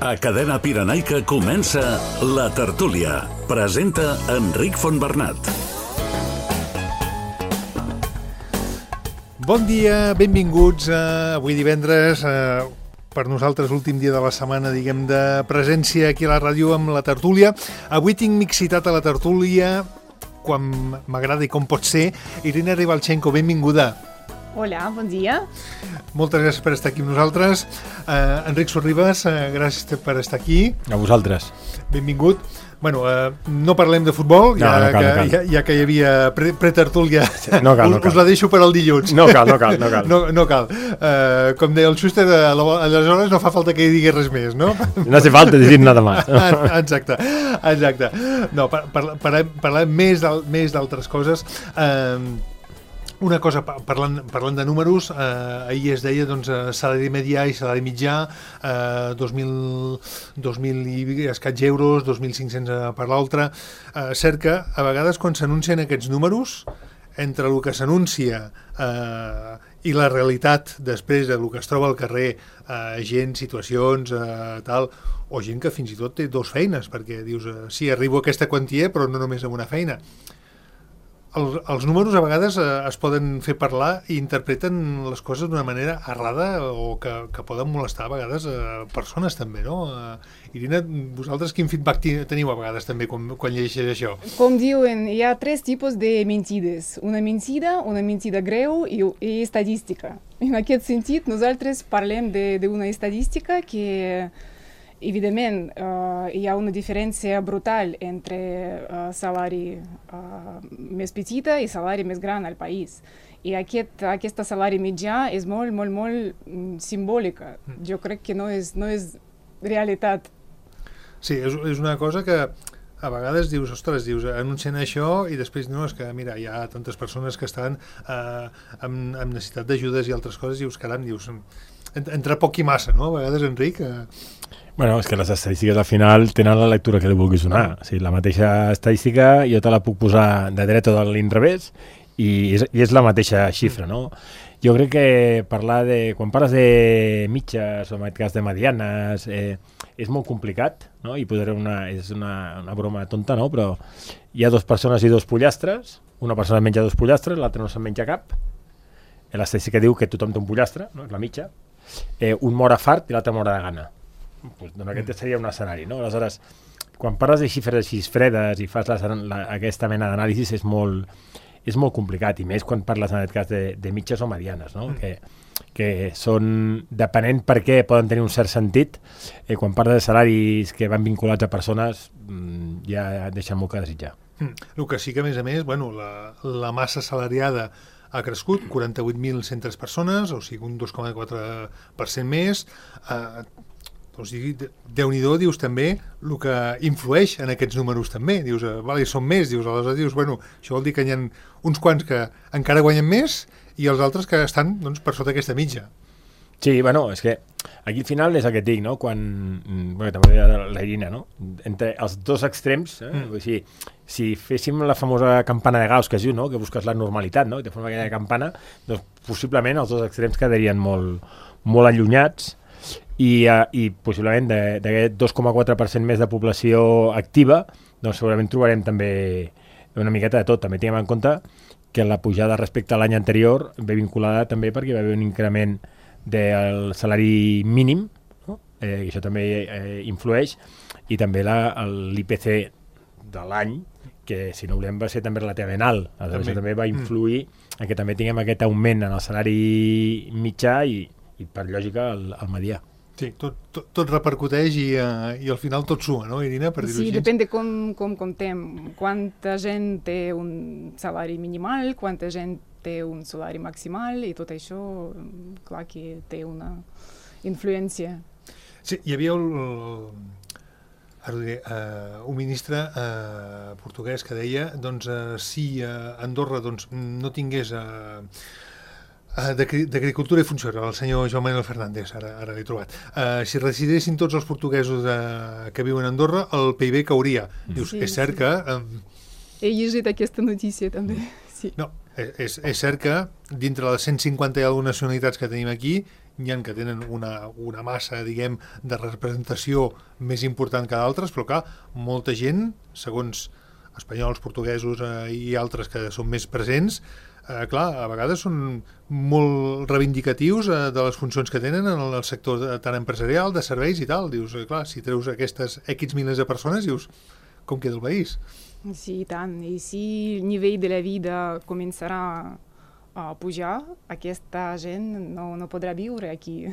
A Cadena Pirenaica comença La Tertúlia. Presenta Enric Fontbernat. Bon dia, benvinguts. Avui divendres, per nosaltres l'últim dia de la setmana, diguem, de presència aquí a la ràdio amb La Tertúlia. Avui tinc mixitat a La Tertúlia, quan m'agrada i com pot ser. Irina Ribalchenko, benvinguda. Hola, bon dia. Moltes gràcies per estar aquí amb nosaltres. Enric Sorribas, gràcies per estar aquí. A vosaltres. Benvingut. Bueno, no parlem de futbol, no cal. Ja que hi havia pretertúlia, no cal. Us la deixo per al dilluns. No cal. No cal. Com deia el Schuster, aleshores no fa falta que hi digui res més, no? No hace falta decir nada más. Exacte. No, parlem més d'altres coses. Una cosa, parlant de números, ahir es deia salari medià i salari mitjà, 2.000 i escaig euros, 2.500 per l'altre. Cert que a vegades quan s'anuncien aquests números, entre el que s'anuncia i la realitat després del que es troba al carrer, gent, situacions, tal, o gent que fins i tot té dues feines, perquè dius, sí, arribo a aquesta quantia, però no només amb una feina. Els números a vegades es poden fer parlar i interpreten les coses d'una manera errada o que poden molestar a vegades persones també, no? Irina, vosaltres quin feedback teniu a vegades també quan llegeixes això? Com diuen, hi ha tres tipus de mentides. Una mentida greu i estadística. En aquest sentit, nosaltres parlem d'una estadística que evidentment, hi ha una diferència brutal entre salari més petita i salari més gran al país. I aquesta salari mitjà és molt simbòlica. Jo crec que no és realitat. Sí, és una cosa que a vegades dius, anuncien això i després no, és que mira, hi ha tantes persones que estan amb necessitat d'ajudes i altres coses i dius, caram, entre poc i massa, no? A vegades, Enric... Bueno, és que les estadístiques al final tenen la lectura que li vulguis donar. O sigui, la mateixa estadística jo te la puc posar de dret o de l'inrevés i és la mateixa xifra, no? Jo crec que quan parles de mitges o en aquest cas de medianes és molt complicat, no? I és una broma tonta, no? Però hi ha dues persones i dos pollastres, una persona menja dos pollastres, l'altra no se'n menja cap. L'estadística diu que tothom té un pollastre, no? És la mitja. Un mor a fart i l'altre mor de gana. Doncs aquest seria un escenari, no? Aleshores, quan parles de xifres així fredes i fas aquesta mena d'anàlisis és molt complicat, i més quan parles en aquest cas de mitges o medianes, no? Que són, depenent per què poden tenir un cert sentit, quan parles de salaris que van vinculats a persones ja deixen molt que desitjar. El que sí que, a més, la massa salariada ha crescut, 48.103 persones, o sigui, un 2,4% més. Doncs Déu-n'hi-do, dius també el que influeix en aquests números també, dius, són més, aleshores dius, això vol dir que hi ha uns quants que encara guanyen més i els altres que estan per sota aquesta mitja. Sí, és que aquí al final és el que et dic, no? També deia la Irina, no? Entre els dos extrems, si féssim la famosa campana de Gauss que es diu, no? Que busques la normalitat, no? I te fem aquella campana, doncs possiblement els dos extrems quedarien molt allunyats. I possiblement d'aquest 2,4% més de població activa, doncs segurament trobarem també una miqueta de tot. També tinguem en compte que la pujada respecte a l'any anterior ve vinculada també perquè va haver un increment del salari mínim, no? I això també influeix, i també l'IPC de l'any, que si no volem va ser també relativament alt. Això també va influir en que també tinguem aquest augment en el salari mitjà i per lògica el medià. Sí, tot repercuteix i al final tot suma, no, Irina? Sí, depèn de com comptem. Quanta gent té un salari minimal, quanta gent té un salari maximal, i tot això, clar que té una influència. Sí, hi havia un ministre portuguès que deia si Andorra no tingués d'Agricultura i Funció, el senyor Joan Manuel Fernández, ara l'he trobat. Si residissin tots els portuguesos que viuen a Andorra, el PIB cauria. Dius, és cert que... He llegit aquesta notícia també, sí. No, és cert que dintre les 150 i algunes nacionalitats que tenim aquí n'hi ha que tenen una massa, diguem, de representació més important que d'altres, però clar, molta gent, segons espanyols, portuguesos i altres que són més presents, clar, a vegades són molt reivindicatius de les funcions que tenen en el sector tant empresarial, de serveis i tal. Dius, clar, si treus aquestes X milers de persones, dius, com queda el país? Sí, i tant. I si el nivell de la vida començarà a pujar, aquesta gent no podrà viure aquí.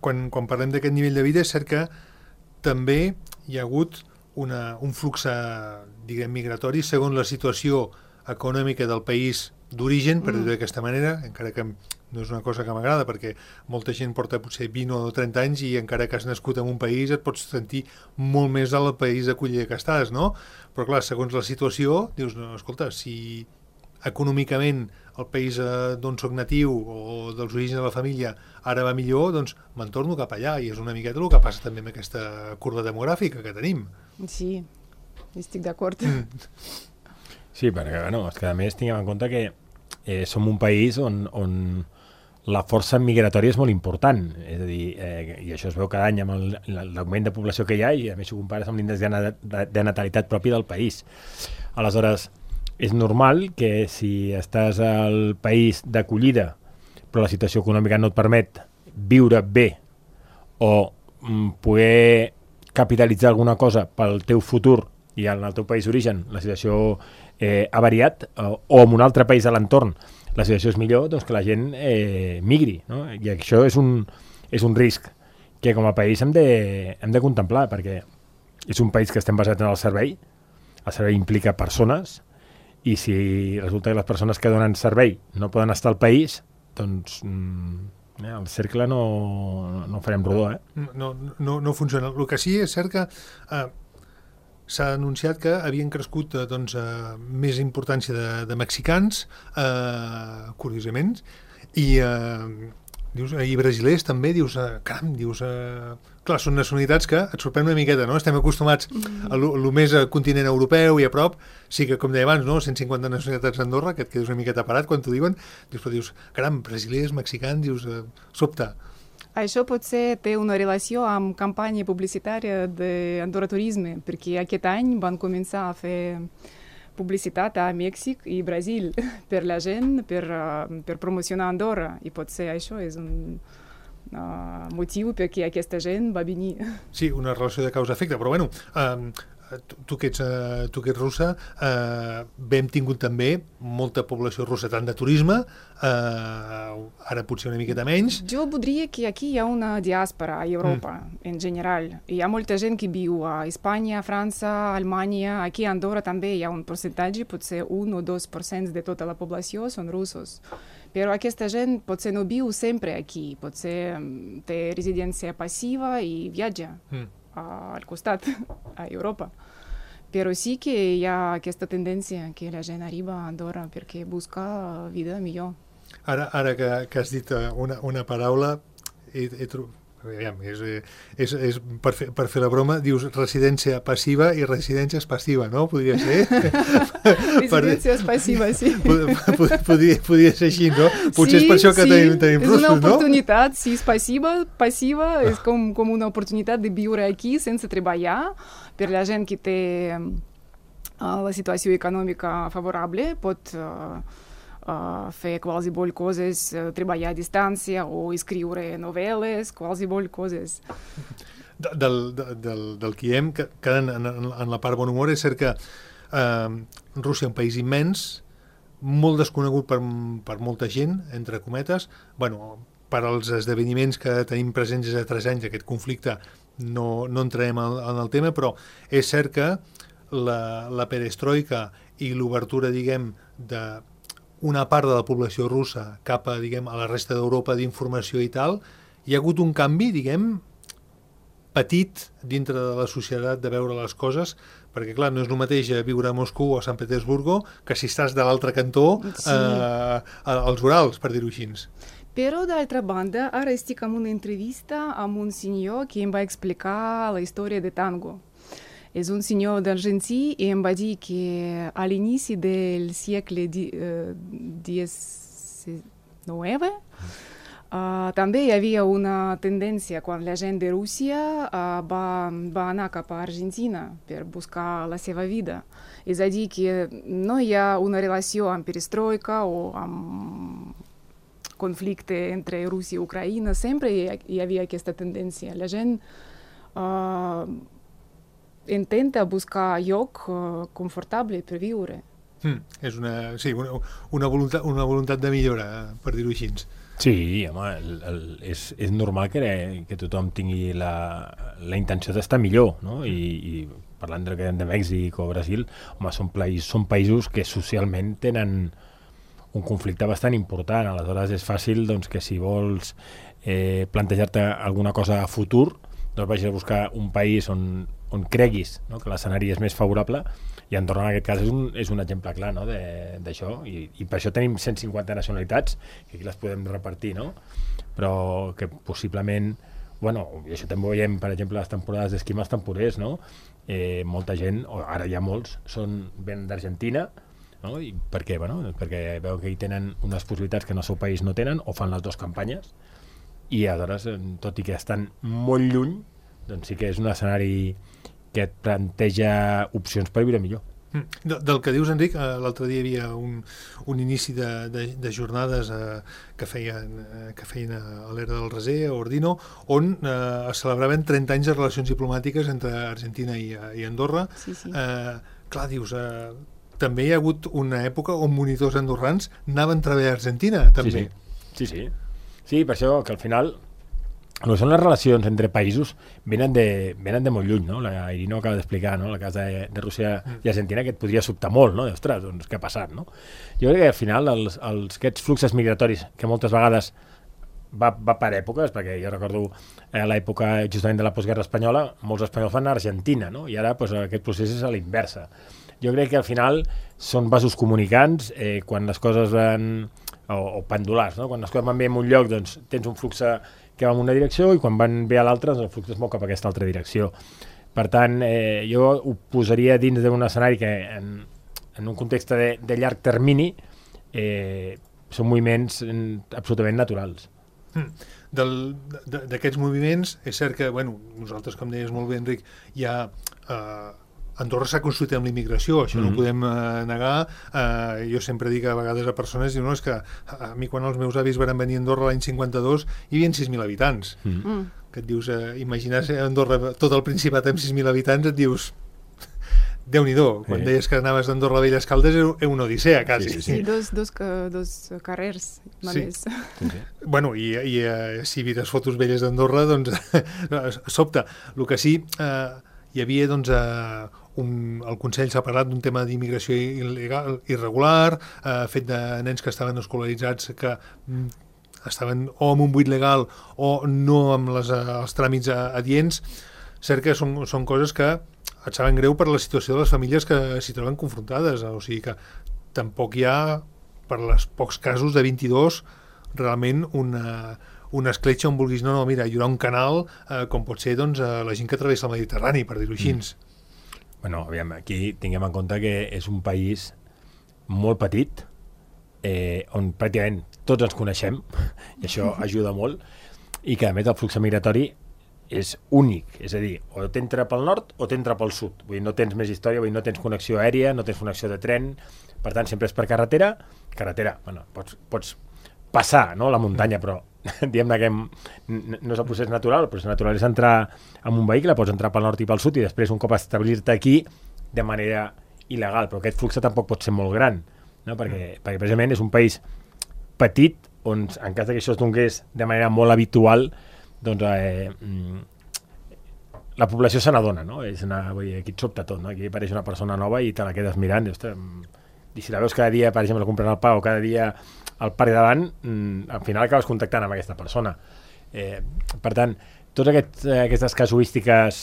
Quan parlem d'aquest nivell de vida, és cert que també hi ha hagut un flux, diguem, migratori segons la situació econòmica del país d'origen, per dir-ho d'aquesta manera, encara que no és una cosa que m'agrada, perquè molta gent porta potser 20 o 30 anys i encara que has nascut en un país et pots sentir molt més al país d'acollida que estàs, no? Però clar, segons la situació, dius, no, escolta, si econòmicament el país d'on soc natiu o dels orígens de la família ara va millor, doncs me'n torno cap allà, i és una miqueta el que passa també amb aquesta curva demogràfica que tenim. Sí, estic d'acord. Sí, perquè és que a més tinguem en compte que som un país on la força migratòria és molt important, és a dir, i això es veu cada any amb l'augment de població que hi ha, i a més ho compares amb l'índex de natalitat propi del país. Aleshores, és normal que si estàs al país d'acollida però la situació econòmica no et permet viure bé o poder capitalitzar alguna cosa pel teu futur i en el teu país d'origen la situació ha variat, o en un altre país a l'entorn la situació és millor, doncs que la gent migri, no? I això és un risc que com a país hem de contemplar, perquè és un país que estem basats en el servei implica persones, i si resulta que les persones que donen servei no poden estar al país, doncs el cercle no farem rodó. No funciona. El que sí és cert que s'ha anunciat que havien crescut més importància de mexicans, curiosament, i brasilers també, caram, clar, són nacionalitats que et sorprèn una miqueta, no? Estem acostumats a lo més continent europeu i a prop, sí que, com deia abans, no? 150 nacionalitats a Andorra, que et quedes una miqueta parat quan t'ho diuen, però dius, caram, brasilers, mexicans, sobte. Això potser té una relació amb campanya publicitària d'Andorra Turisme, perquè aquest any van començar a fer publicitat a Mèxic i Brasil per la gent, per promocionar Andorra, i potser això és un motiu perquè aquesta gent va venir. Sí, una relació de causa-efecte, però bueno, tu que ets russa, hem tingut també molta població russa, tant de turisme, ara potser una miqueta menys. Jo voldria que aquí hi ha una diàspora a Europa, en general. Hi ha molta gent que viu a Espanya, França, Alemanya, aquí a Andorra també hi ha un percentatge, potser 1 o 2% de tota la població són russos. Però aquesta gent potser no viu sempre aquí, potser té residència passiva i viatja al costat, a Europa. Però sí que hi ha aquesta tendència que la gent arriba a Andorra perquè busca vida millor. Ara que has dit una paraula, és per fer la broma, dius residència passiva i residència passiva, no? Podria ser? Residència passiva, sí. Podria ser així, no? Potser és per això que tenim russos, no? És una oportunitat, si és passiva és com una oportunitat de viure aquí sense treballar. Per la gent que té la situació econòmica favorable pot fer qualsevol coses, treballar a distància o escriure novel·les, qualsevol coses. Del que hem, quedant en la part bon humor, és cert que Rússia és un país immens, molt desconegut per molta gent, entre cometes, per als esdeveniments que tenim presents des de 3 anys d'aquest conflicte no entrarem en el tema, però és cert que la perestroika i l'obertura, diguem, d'una part de la població russa cap a, diguem, a la resta d'Europa d'informació i tal, hi ha hagut un canvi, diguem, petit dintre de la societat de veure les coses, perquè clar, no és el mateix viure a Moscou o a Sant Petersburgo que si estàs de l'altre cantó als Urals, per dir-ho així. Però, d'altra banda, ara estic en una entrevista amb un senyor que em va explicar la història de tango. És un senyor d'Argentí i em va dir que a l'inici del segle XIX També hi havia una tendència quan la gent de Rússia va anar cap a Argentina per buscar la seva vida. És a dir, que no hi ha una relació amb perestroika o amb conflicte entre Rússia i Ucraïna. Sempre hi havia aquesta tendència. La gent intenta buscar lloc confortable per viure. És una voluntat de millora, per dir-ho així. Sí, home, és normal que tothom tingui la intenció d'estar millor, no? I parlant de Mèxic o Brasil, home, són països que socialment tenen un conflicte bastant important. Aleshores és fàcil doncs, que si vols plantejar-te alguna cosa a futur, doncs vagis a buscar un país on creguis, no? Que l'escenari és més favorable, i Andorra en aquest cas és un exemple clar, no? d'això, i per això tenim 150 nacionalitats, que aquí les podem repartir, no? Però que possiblement, bueno, i això també ho veiem, per exemple, les temporades d'esquí amb els temporers, no? Molta gent, o ara ja molts, venen d'Argentina, no? I per què? Bueno, perquè veu que hi tenen unes possibilitats que en el seu país no tenen, o fan les dues campanyes, i aleshores, tot i que estan molt lluny, doncs sí que és un escenari que et planteja opcions per viure millor. Del que dius, Enric, l'altre dia hi havia un inici de jornades que feien a l'era del Reser, a Ordino, on es celebraven 30 anys de relacions diplomàtiques entre Argentina i Andorra. Sí. Clar, dius, també hi ha hagut una època on monitors andorrans anaven a treballar a Argentina, també. Sí, per això que al final el que són les relacions entre països venen de molt lluny, no? La Irino acaba d'explicar, no? El cas de Rússia i Argentina, que et podria sobtar molt, no? Ostres, doncs què ha passat, no? Jo crec que al final aquests fluxos migratoris, que moltes vegades va per èpoques, perquè jo recordo l'època justament de la postguerra espanyola, molts espanyols van a Argentina, no? I ara doncs, aquest procés és a l'inversa. Jo crec que al final són vasos comunicants, quan les coses van, o pendulars, no? Quan les coses van bé en un lloc, doncs tens un flux que va en una direcció, i quan van bé a l'altra, doncs el flux es mou cap a aquesta altra direcció. Per tant, jo ho posaria dins d'un escenari que en un context de llarg termini són moviments absolutament naturals. D'aquests moviments, és cert que, nosaltres, com deies molt bé, Enric, hi ha... Andorra s'ha construït amb l'immigració, això no ho podem negar. Jo sempre dic a vegades a persones, diu, no, és que a mi quan els meus avis van venir a Andorra l'any 52 hi havia 6.000 habitants. Que et dius, imaginar Andorra, tot el Principat amb 6.000 habitants, et dius, Déu-n'hi-do, quan deies que anaves d'Andorra a Velles Caldes era una odissea, quasi. Sí, dos carrers, només. Bueno, i si vires fotos velles d'Andorra, doncs sobta. El que sí, hi havia, doncs, el Consell s'ha parlat d'un tema d'immigració irregular, fet de nens que estaven escolaritzats que estaven o amb un buit legal o no amb els tràmits adients. Cert que són coses que et saben greu per la situació de les famílies que s'hi troben confrontades, o sigui que tampoc hi ha, per els pocs casos de 22, realment una escletxa on vulguis, no, mira, hi haurà un canal, com pot ser, doncs, la gent que travessa el Mediterrani, per dir-ho així. Bueno, aviam, aquí tinguem en compte que és un país molt petit, on pràcticament tots ens coneixem, i això ajuda molt, i que a més el flux migratori és únic, és a dir, o t'entra pel nord o t'entra pel sud, vull dir, no tens més història, vull dir, no tens connexió aèria, no tens connexió de tren, per tant sempre és per carretera, bueno, pots passar, no?, la muntanya, però diguem-ne que no és el procés natural. El procés natural és entrar en un vehicle, pots entrar pel nord i pel sud i després un cop establir-te aquí de manera il·legal, però aquest flux tampoc pot ser molt gran, no? Perquè precisament és un país petit on en cas que això es donés de manera molt habitual, doncs la població se n'adona, no? Aquí et sobta tot, no? Aquí apareix una persona nova i te la quedes mirant, i si la veus cada dia, per exemple, comprant el pa o cada dia al parc davant, al final acabes contactant amb aquesta persona. Per tant, totes aquestes casuístiques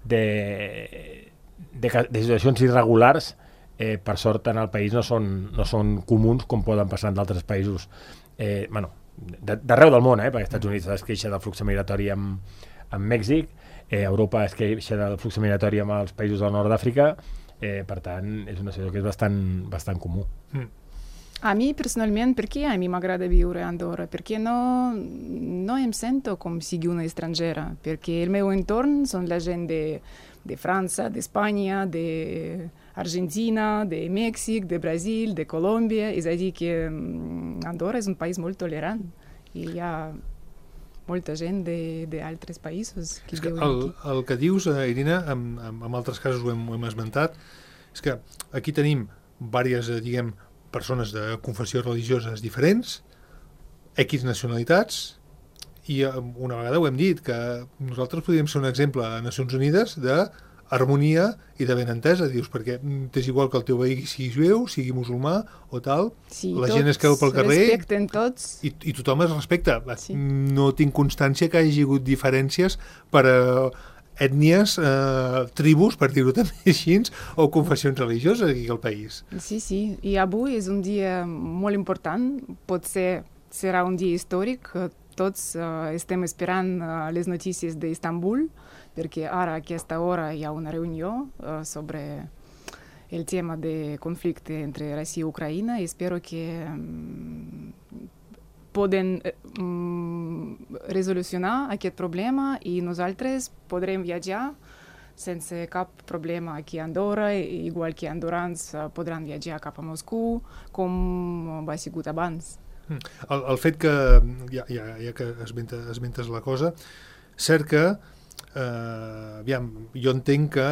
de situacions irregulars, per sort en el país no són comuns com poden passar en d'altres països. D'arreu del món, perquè als Estats Units es queixa del flux migratori amb Mèxic, Europa es queixa del flux migratori amb els països del nord d'Àfrica, per tant és una situació que és bastant comú. A mi, personalment, perquè a mi m'agrada viure a Andorra? Perquè no em sento com sigui una estrangera, perquè el meu entorn són la gent de França, d'Espanya, d'Argentina, de Mèxic, de Brasil, de Colòmbia. És a dir, que Andorra és un país molt tolerant i hi ha molta gent d'altres països que viuen aquí. El que dius, Irina, en altres casos ho hem esmentat, és que aquí tenim diverses, diguem, persones de confessions religioses diferents, X nacionalitats, i una vegada ho hem dit, que nosaltres podríem ser un exemple a Nacions Unides d'harmonia i de benentesa, dius, perquè és igual que el teu veí sigui jueu, sigui musulmà o tal, sí, la gent es creu pel carrer respecten tots. I tothom es respecta. Sí. No tinc constància que hi hagi hagut diferències per ètnies, tribus, per dir-ho també així, o confessions religioses aquí al país. Sí, sí. I avui és un dia molt important. Potser serà un dia històric. Tots estem esperant les notícies d'Istanbul, perquè ara a aquesta hora hi ha una reunió sobre el tema de conflicte entre Rússia i Ucraïna i espero que poden resolucionar aquest problema i nosaltres podrem viatjar sense cap problema aquí a Andorra, igual que andorrans podran viatjar cap a Moscou, com va sigut abans. El fet que, ja que esmentes la cosa, cert que, jo entenc que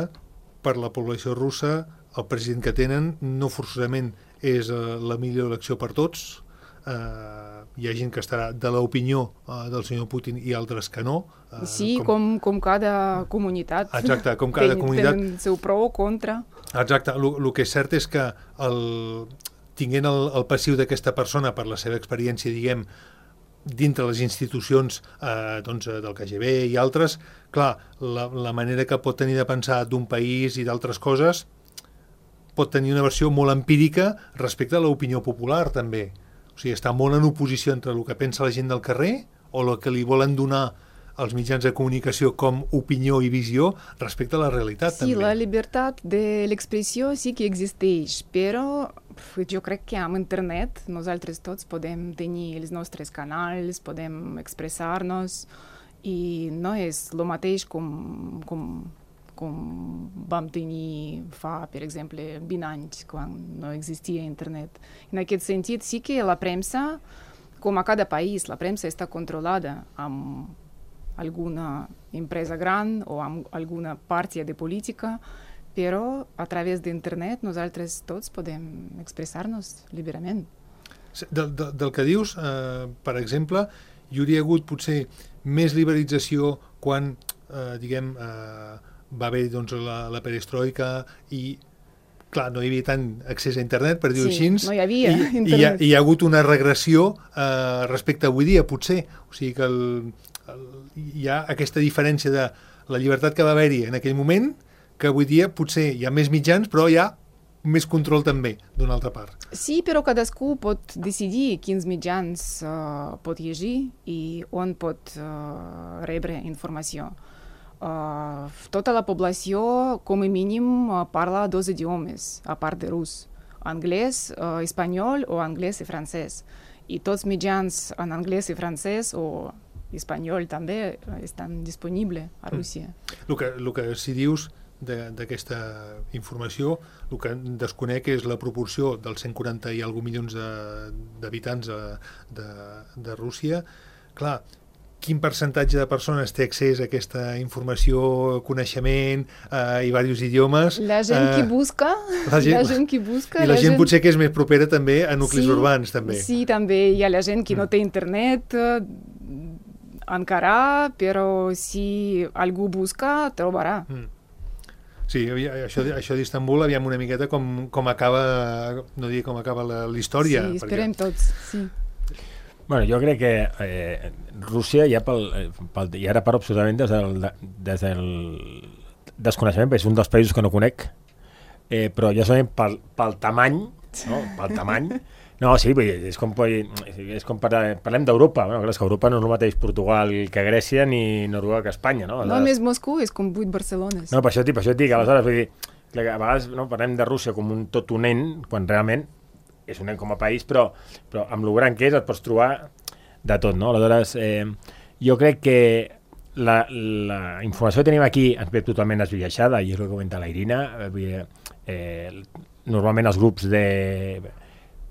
per la població russa el president que tenen no forçosament és la millor elecció per tots. Hi ha gent que estarà de l'opinió del senyor Putin i altres que no. Sí, com cada comunitat. Exacte, com cada comunitat. Tenen el seu pro o contra. Exacte, el que és cert és que tinguent el passiu d'aquesta persona per la seva experiència, diguem, dintre les institucions del KGB i altres, clar, la manera que pot tenir de pensar d'un país i d'altres coses pot tenir una versió molt empírica respecte a l'opinió popular, també. O sigui, està molt en oposició entre el que pensa la gent del carrer o el que li volen donar els mitjans de comunicació com opinió i visió respecte a la realitat, sí, també. Sí, la llibertat de l'expressió sí que existeix, però jo crec que amb internet nosaltres tots podem tenir els nostres canals, podem expressar-nos i no és el mateix com vam tenir fa, per exemple, 20 anys, quan no existia internet. En aquest sentit, sí que la premsa, com a cada país, la premsa està controlada amb alguna empresa gran o amb alguna partia de política, però a través d'internet nosaltres tots podem expressar-nos lliurement. Del que dius, per exemple, hi hauria hagut potser més liberalització quan, diguem, va haver la perestroika i, clar, no hi havia tant accés a internet, per dir-ho així. No hi havia internet. I hi ha hagut una regressió respecte a avui dia, potser. O sigui que hi ha aquesta diferència de la llibertat que va haver-hi en aquell moment, que avui dia potser hi ha més mitjans, però hi ha més control també, d'una altra part. Sí, però cadascú pot decidir quins mitjans pot llegir i on pot rebre informació. Tota la població, com a mínim, parla 2 idiomes, a part de rus. Anglès, espanyol o anglès i francès. I tots mitjans en anglès i francès o espanyol també estan disponibles a Rússia. El que si dius d'aquesta informació, el que desconec és la proporció dels 140 i alguna milions d'habitants de Rússia. Clar, quin percentatge de persones té accés a aquesta informació, coneixement i diversos idiomes? La gent que busca. I la gent potser que és més propera també a nuclis urbans, també. Sí, també hi ha la gent que no té internet encara, però si algú busca, trobarà. Sí, això d'Istanbul, aviam una miqueta com acaba, no diria com acaba la història. Sí, esperem tots, sí. Bueno, jo crec que Rússia ja ara parlo absolutament des del desconeixement, perquè és un dels països que no conec, però ja solament pel tamany, no? Pel tamany. No, sí, és com parlem d'Europa. Bueno, clar, és que Europa no és el mateix Portugal que Grècia ni Noruega que Espanya, no? No, més Moscou és com 8 Barcelones. No, per això et dic, aleshores, vull dir, a vegades parlem de Rússia com un tot un nen, quan realment és un nen com a país, però amb lo gran que és et pots trobar de tot, no? Aleshores, jo crec que la informació que tenim aquí ens ve totalment esbiaixada, i és el que comenta la Irina. Normalment els grups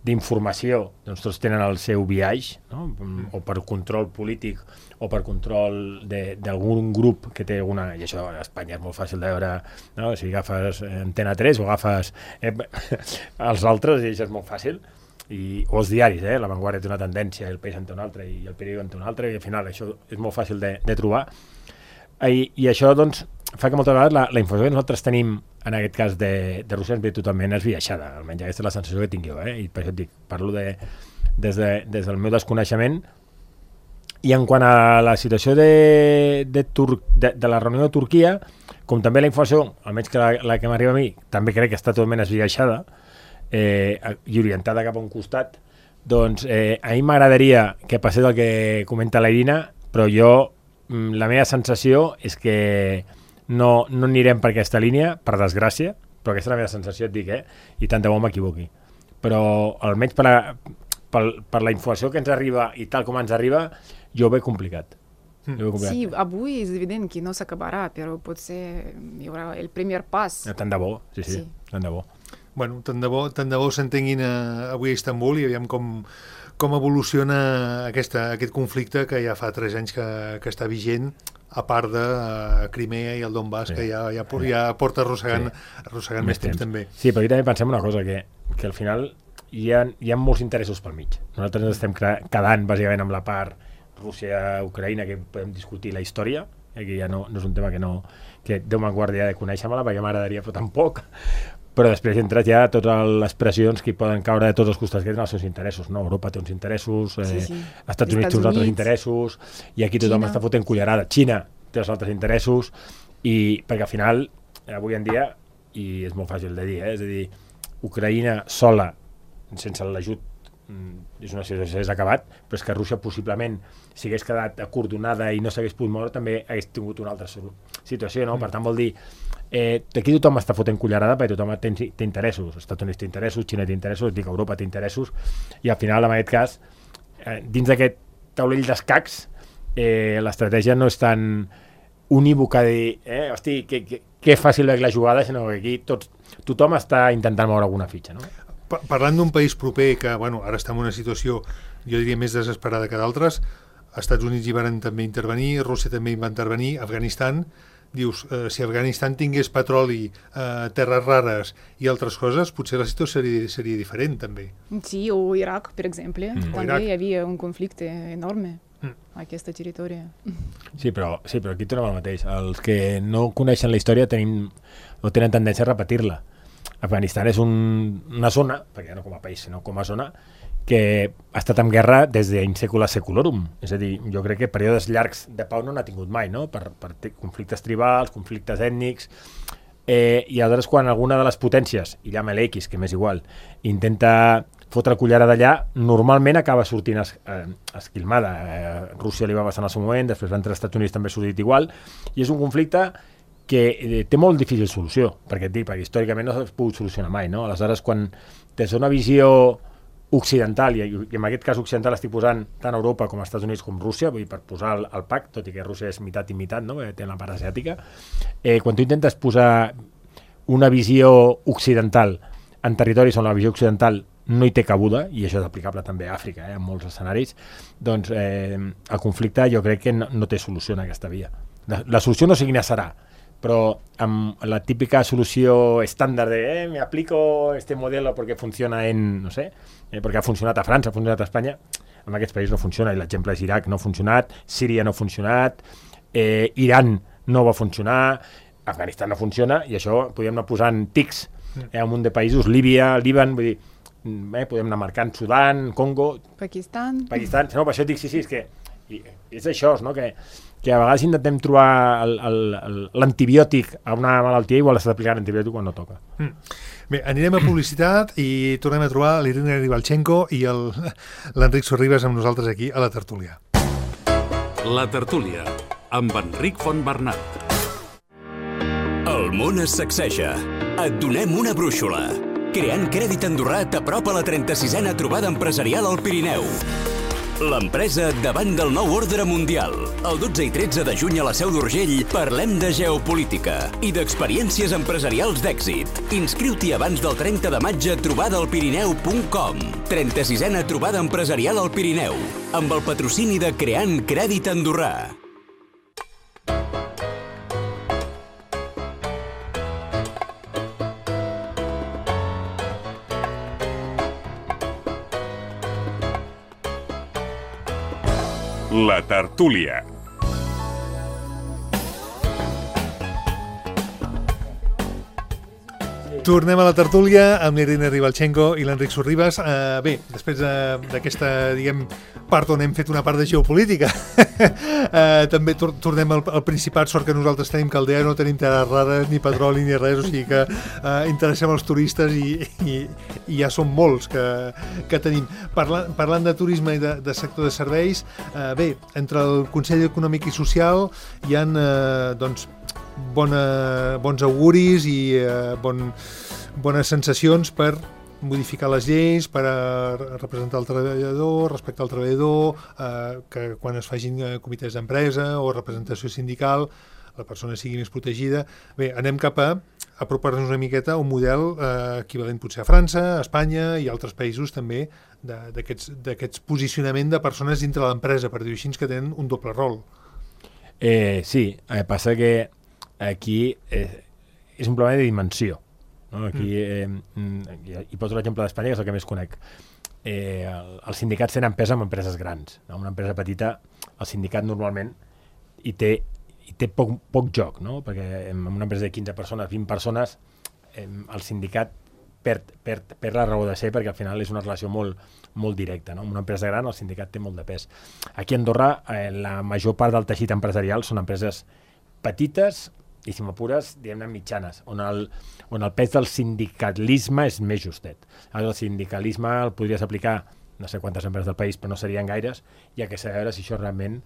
d'informació doncs tots tenen el seu biaix, no? O per control polític o per control d'algun grup que té alguna... I això a Espanya és molt fàcil de veure, no? Si agafes Antena 3 o agafes els altres, i això és molt fàcil. O els diaris, La Vanguardia té una tendència, El País en té una altra i El Periódico en té una altra, i al final això és molt fàcil de trobar. I això doncs fa que moltes vegades la informació que nosaltres tenim en aquest cas de Rússia ens ve totalment esbiaixada, almenys aquesta és la sensació que tinc jo, i per això et dic, parlo des del meu desconeixement. I en quant a la situació de la reunió de Turquia, com també la informació, almenys que la que m'arriba a mi, també crec que està totalment esbiaixada i orientada cap a un costat, doncs a mi m'agradaria que passés el que comenta la Irina, però la meva sensació és que no anirem per aquesta línia, per desgràcia, però aquesta és la meva sensació, et dic, i tant de bo m'equivoqui. Però almenys per la informació que ens arriba i tal com ens arriba, jo ho veig complicat. Sí, avui és evident que no s'acabarà, però potser hi haurà el primer pas. Tant de bo, sí, tant de bo. Bueno, tant de bo s'entenguin avui a Istanbul, i aviam com evoluciona aquest conflicte que ja fa 3 anys que està vigent, a part de Crimea i el Donbass, que ja porta arrossegant més temps també. Sí, però aquí també pensem una cosa, que al final hi ha molts interessos pel mig. Nosaltres ens estem quedant bàsicament amb la part Rússia-Ucraïna, que podem discutir la història, que ja no és un tema que Déu me'n guardi de conèixer-me-la, perquè m'agradaria, però tampoc. Però després entres ja a totes les pressions que poden caure de tots els costats que tenen els seus interessos, no? Europa té uns interessos, Estats Units té uns altres interessos, i aquí tothom està fotent cullerada. Xina té els altres interessos, i perquè al final, avui en dia, i és molt fàcil de dir, és a dir, Ucraïna sola, sense l'ajut, és una situació que s'ha acabat, però és que Rússia possiblement, si hagués quedat acordonada i no s'hagués pogut moure, també hagués tingut una altra situació, no? Per tant, vol dir, aquí tothom està fotent cullerada perquè tothom té interessos. Els Estats Units té interessos, Xina té interessos, dic, Europa té interessos, i al final, en aquest cas, dins d'aquest taulell d'escacs, l'estratègia no és tan unívoca de dir, hosti, que fàcil veig la jugada, sinó que aquí tothom està intentant moure alguna fitxa, no? Parlant d'un país proper que, ara està en una situació, jo diria, més desesperada que d'altres, Estats Units hi van també intervenir, Rússia també hi va intervenir, Afganistan, dius, si Afganistan tingués petroli, terres rares i altres coses, potser la situació seria diferent, també. Sí, o Iraq, per exemple, també hi havia un conflicte enorme a aquesta territori. Sí, però aquí tornem al mateix. Els que no coneixen la història tenen tendència a repetir-la. Afganistan és una zona, perquè no com a país, sinó com a zona, que ha estat en guerra des d'in secula seculorum. És a dir, jo crec que períodes llargs de pau no n'ha tingut mai, no? Per conflictes tribals, conflictes ètnics, i aleshores quan alguna de les potències, i llama l'X, que m'és igual, intenta fotre cullerada d'allà, normalment acaba sortint esquilmada. Rússia li va passar en el seu moment, després entre els Estats Units també ha sortit igual, i és un conflicte que té molt difícil solució, perquè històricament no s'ha pogut solucionar mai, no? Aleshores, quan des d'una visió occidental, i en aquest cas occidental estic posant tant Europa com els Estats Units com Rússia, vull dir, per posar el pack, tot i que Rússia és meitat i meitat, no? Té la part asiàtica, quan tu intentes posar una visió occidental en territoris on la visió occidental no hi té cabuda, i això és aplicable també a Àfrica, en molts escenaris, doncs el conflicte jo crec que no té solució en aquesta via. La solució no sé quina serà, però amb la típica solució estàndard de me aplico este modelo porque funciona en, no sé, perquè ha funcionat a França, ha funcionat a Espanya, en aquests països no funciona, i l'exemple és Iraq, no ha funcionat, Síria no ha funcionat, Iran no va funcionar, Afganistan no funciona, i això podem anar posant tics en un munt de països, Líbia, Líban, vull dir, podem anar marcant Sudan, Congo, Pakistan, no, per això dic, sí, és que és això, no? Que a vegades intentem trobar l'antibiòtic a una malaltia, igual s'ha d'aplicar l'antibiòtic quan no toca. Bé, anirem a publicitat i tornem a trobar l'Irina Ribalchenko i l'Enric Sorribas amb nosaltres aquí a la tertúlia. La tertúlia, amb Enric Fontbernat. El món es sacseja. Et donem una brúixola. Creant Crèdit Andorrà t'apropa la 36a trobada empresarial al Pirineu. L'empresa davant del nou ordre mundial. El 12 i 13 de juny a la Seu d'Urgell parlem de geopolítica i d'experiències empresarials d'èxit. Inscriu-t'hi abans del 30 de maig a trobadalpirineu.com. 36a trobada empresarial al Pirineu, amb el patrocini de Creant Crèdit Andorrà. La tertúlia. Tornem a la tertúlia amb l'Irene Ribalchenko i l'Enric Sorribas. Bé, després d'aquesta, diguem, part on hem fet una part de geopolítica, també tornem al Principat, sort que nosaltres tenim caldea, no tenim terres rares, ni petroli, ni res, o sigui que interessem els turistes i ja són molts que tenim. Parlant de turisme i de sector de serveis, bé, entre el Consell Econòmic i Social hi ha, doncs, bons auguris i bones sensacions per modificar les lleis, per representar el treballador, respectar el treballador, que quan es facin comitès d'empresa o representació sindical la persona sigui més protegida. Bé, anem cap a apropar-nos una miqueta a un model equivalent potser a França, a Espanya i altres països també d'aquests posicionament de persones dintre l'empresa, per dir-ho així, que tenen un doble rol. Sí, passa que aquí és un problema de dimensió, no? Aquí hi poso l'exemple d'Espanya, que és el que més conec. Els sindicats tenen pes en empreses grans, no? Una empresa petita, el sindicat normalment hi té poc joc, no? Perquè en una empresa de 15 persones, 20 persones, el sindicat perd la raó de ser, perquè al final és una relació molt directa, no? En una empresa gran el sindicat té molt de pes. Aquí a Andorra la major part del teixit empresarial són empreses petites i, si m'apures, diguem-ne mitjanes, on el pes del sindicalisme és més justet. El sindicalisme el podries aplicar no sé quantes empreses del país, però no serien gaires, i a que s'ha de veure si això realment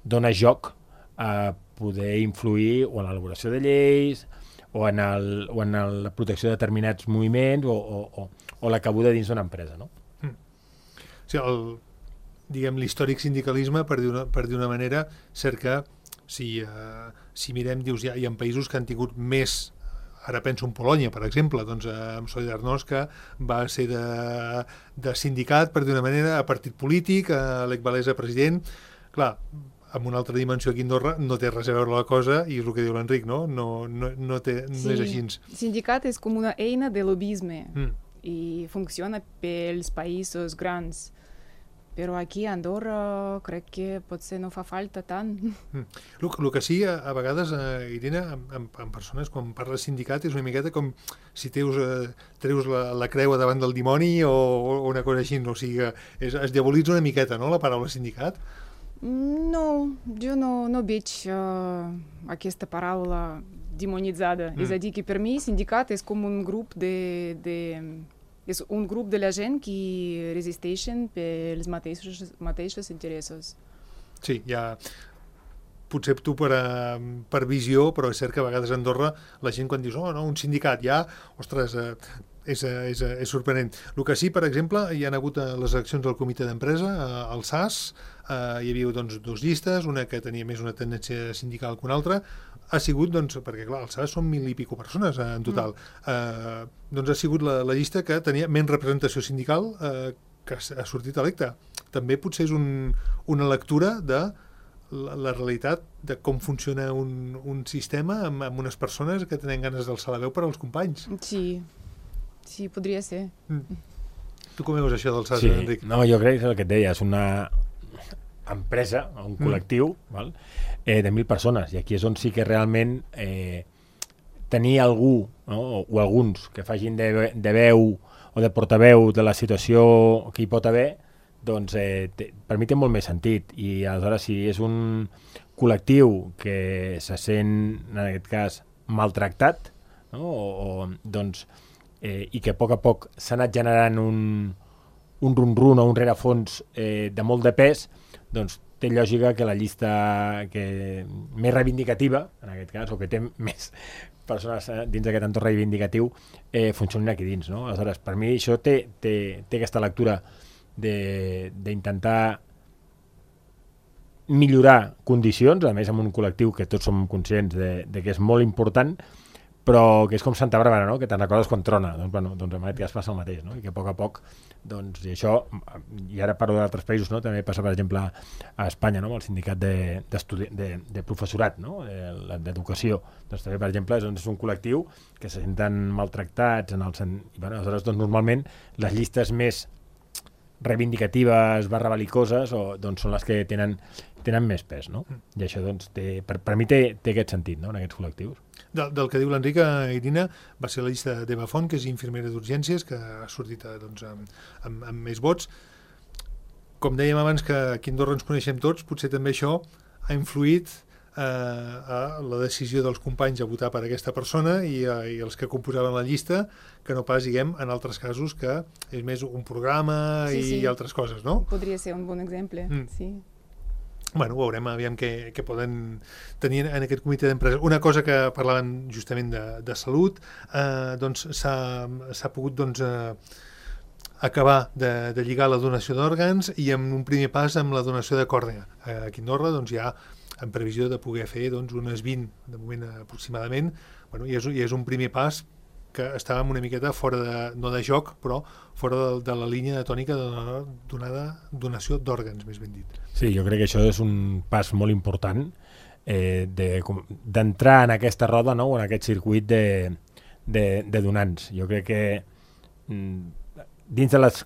dona joc a poder influir o en l'elaboració de lleis o en la protecció de determinats moviments o la cabuda dins d'una empresa, no? O sigui, diguem, l'històric sindicalisme, per dir una manera, cert que si mirem, dius, hi ha països que han tingut més, ara penso en Polònia, per exemple, doncs amb Solidarność, que va ser de sindicat, per dir una manera, a partit polític, a Lech Walesa president. Clar, amb una altra dimensió aquí a Andorra no té res a veure la cosa, i és el que diu l'Enric, no? No és així. Sindicat és com una eina de lobisme i funciona pels països grans. Però aquí a Andorra crec que potser no fa falta tant. El que sí, a vegades, Irene, amb persones, quan parles sindicat, és una miqueta com si treus la creu davant del dimoni o una cosa així. O sigui, es diabolitza una miqueta, no?, la paraula sindicat. No, jo no veig aquesta paraula demonitzada. És a dir, que per mi sindicat és com un grup és un grup de la gent que resisteixen pels mateixos interessos. Sí, potser tu per visió, però és cert que a vegades a Andorra la gent quan dius, un sindicat ja, ostres, és sorprenent. El que sí, per exemple, hi ha hagut les eleccions del comitè d'empresa, al SAS, hi havia doncs 2 llistes, una que tenia més una tendència sindical que una altra, ha sigut, doncs, perquè clar, al SAS són 1.000 i pico persones en total, doncs ha sigut la llista que tenia menys representació sindical que ha sortit electa. També potser és una lectura de la realitat de com funciona un sistema amb unes persones que tenen ganes d'alçar la veu per als companys. Sí, podria ser. Tu com veus això del SAS, sí. Enric? No, jo crec que és el que et deia, és una empresa, un col·lectiu, val? De 1.000 persones, i aquí és on sí que realment tenir algú, no? O alguns que facin de veu o de portaveu de la situació que hi pot haver, doncs per mi té molt més sentit, i aleshores si és un col·lectiu que se sent, en aquest cas, maltractat, no? Doncs, i que a poc s'ha anat generant un run-run o un rerefons de molt de pes, doncs té lògica que la llista més reivindicativa, en aquest cas, o que té més persones dins d'aquest entorn reivindicatiu, funcionin aquí dins, no? Aleshores, per mi això té aquesta lectura d'intentar millorar condicions, a més amb un col·lectiu que tots som conscients de que és molt important, però que és com Santa Bàrbara, no? Que te'n recordes quan trona. Doncs en aquest cas passa el mateix, no? I que a poc, doncs, i això, i ara parlo d'altres països, no? També passa, per exemple, a Espanya, no? Amb el sindicat de professorat, no? D'educació. Doncs també, per exemple, és un col·lectiu que se senten maltractats, i aleshores, doncs, normalment, les llistes més reivindicatives, /belicoses, doncs són les que tenen més pes, no? I això, doncs, per mi té aquest sentit, no? En aquests col·lectius. Del que diu l'Enric, Irina, va ser la llista d'Eva Font, que és infermera d'urgències, que ha sortit doncs, amb més vots. Com dèiem abans que aquí a Andorra ens coneixem tots, potser també això ha influït a la decisió dels companys a votar per aquesta persona i els que composaven la llista, que no pas, diguem, en altres casos que és més un programa i altres coses, no? Podria ser un bon exemple, sí. Bueno, veurem aviam què poden tenir en aquest comitè d'empresa. Una cosa que parlaven justament de salut, doncs s'ha pogut doncs, acabar de lligar la donació d'òrgans i amb un primer pas amb la donació de còrnea. Aquí a Andorra doncs, hi ha en previsió de poder fer doncs, unes 20, de moment aproximadament, bueno, i és un primer pas que estàvem una miqueta fora no de joc, però fora de la línia de tònica de donació d'òrgans, més ben dit. Sí, jo crec que això és un pas molt important d'entrar en aquesta roda, no? En aquest circuit de donants. Jo crec que dins de les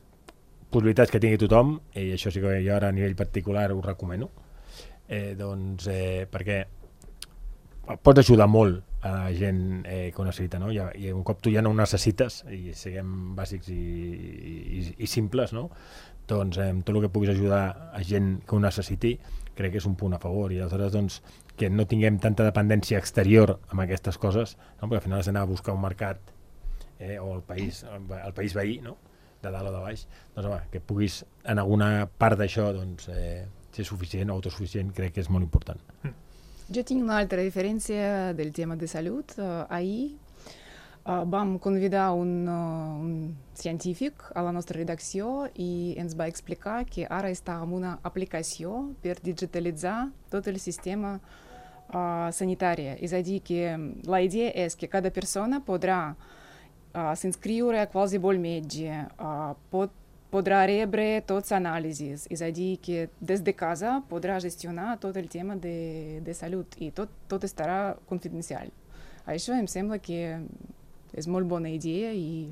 possibilitats que tingui tothom, i això sí que jo ara a nivell particular ho recomano, perquè pots ajudar molt a la gent que ho necessita, no? I un cop tu ja no ho necessites, i siguem bàsics i simples, no? Doncs tot el que puguis ajudar a gent que ho necessiti crec que és un punt a favor, i aleshores doncs, que no tinguem tanta dependència exterior amb aquestes coses, no? Perquè al final has d'anar a buscar un mercat o el país veí, no? De dalt o de baix, doncs home, que puguis en alguna part d'això doncs, ser suficient o autosuficient, crec que és molt important. Jo tinc una altra referència del tema de salut. Ahir vam convidar un científic a la nostra redacció i ens va explicar que ara està amb una aplicació per digitalitzar tot el sistema sanitari. És a dir, que la idea és que cada persona podrà s'inscriure a qualsevol metge, podrà rebre tots anàlisis, és a dir, que des de casa podrà gestionar tot el tema de salut i tot estarà confidencial. Això em sembla que és molt bona idea i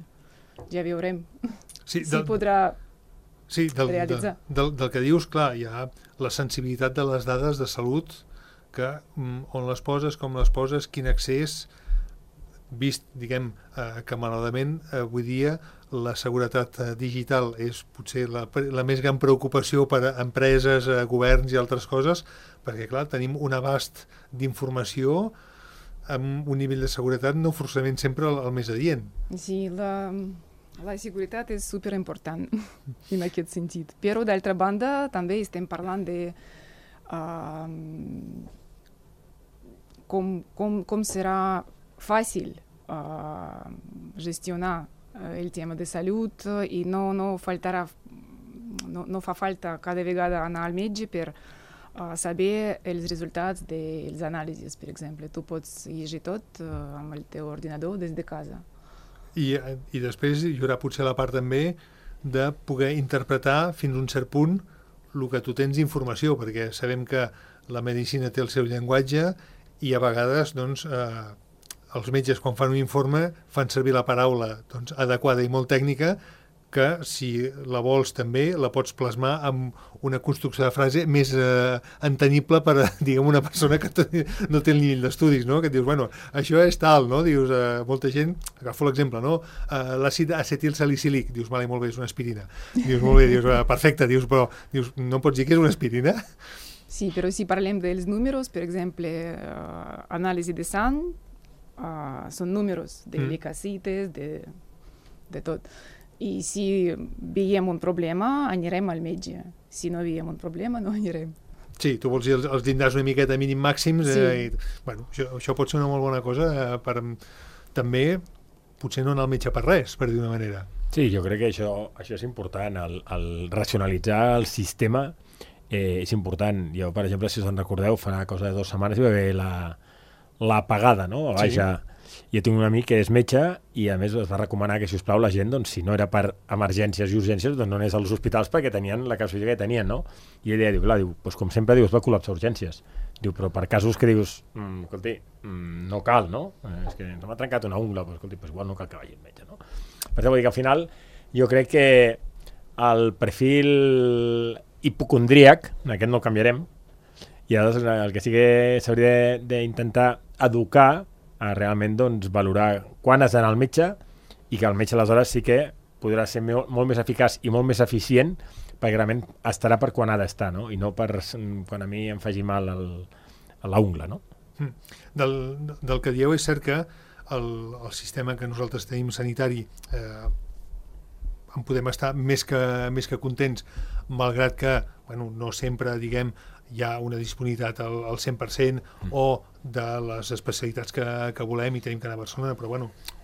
ja veurem si podrà realitzar. Del que dius, clar, hi ha la sensibilitat de les dades de salut, que on les poses, com les poses, quin accés, vist, diguem, que malauradament avui dia la seguretat digital és potser la més gran preocupació per a empreses, governs i altres coses, perquè, clar, tenim un abast d'informació amb un nivell de seguretat no forçament sempre el més adient. Sí, la seguretat és superimportant en aquest sentit. Però, d'altra banda, també estem parlant de com serà fàcil gestionar el tema de salut i no fa falta cada vegada anar al metge per saber els resultats dels anàlisis, per exemple. Tu pots llegir tot amb el teu ordinador des de casa. I després hi haurà potser la part també de poder interpretar fins a un cert punt el que tu tens d'informació, perquè sabem que la medicina té el seu llenguatge i a vegades doncs, els metges quan fan un informe fan servir la paraula doncs, adequada i molt tècnica, que si la vols també la pots plasmar amb una construcció de frase més entenyible per a, diguem, una persona que no té el nivell d'estudis, no? Que et dius, bueno, això és tal, no? Dius, molta gent, agafo l'exemple, no? L'àcid acetilsalicílic, dius, vale, molt bé, és una aspirina. Dius, molt bé, dius, perfecte, dius, però dius, no pots dir que és una aspirina? Sí, però si parlem dels números, per exemple, anàlisi de sang, són números de leucocites, de tot. I si veiem un problema, anirem al metge. Si no veiem un problema, no anirem. Sí, tu vols dir els llindars una miqueta mínim màxims, Sí. Bueno, això pot ser una molt bona cosa per també potser no anar al metge per res, per dir una manera. Sí, jo crec que això és important, el racionalitzar el sistema és important. Jo, per exemple, si us en recordeu, fa cosa de 2 setmanes hi va haver l'apagada, no? A Baixa. Sí. Jo tinc un amic que és metge i a més es va recomanar que, si us plau, la gent, doncs, si no era per emergències i urgències, doncs no anés als hospitals perquè tenien la casuística que tenien, no? I ell diu, clar, doncs, com sempre, es va col·lapsar urgències. Diu, però per casos que dius, escolti, no cal, no? És que m'ha trencat una ungla, doncs, escolti, igual no cal que vagi al metge, no? Per això vull dir que al final jo crec que el perfil hipocondríac, aquest no el canviarem, i el que sí que s'hauria d'intentar educar a realment doncs, valorar quan has d'anar al metge i que el metge aleshores sí que podrà ser molt més eficaç i molt més eficient perquè realment estarà per quan ha d'estar, no? I no per quan a mi em faci mal la ungla, no? Del que dieu és cert que el sistema que nosaltres tenim sanitari en podem estar més que contents, malgrat que no sempre, diguem, hi ha una disponibilitat al 100% o de les especialitats que volem i tenim que anar a Barcelona, però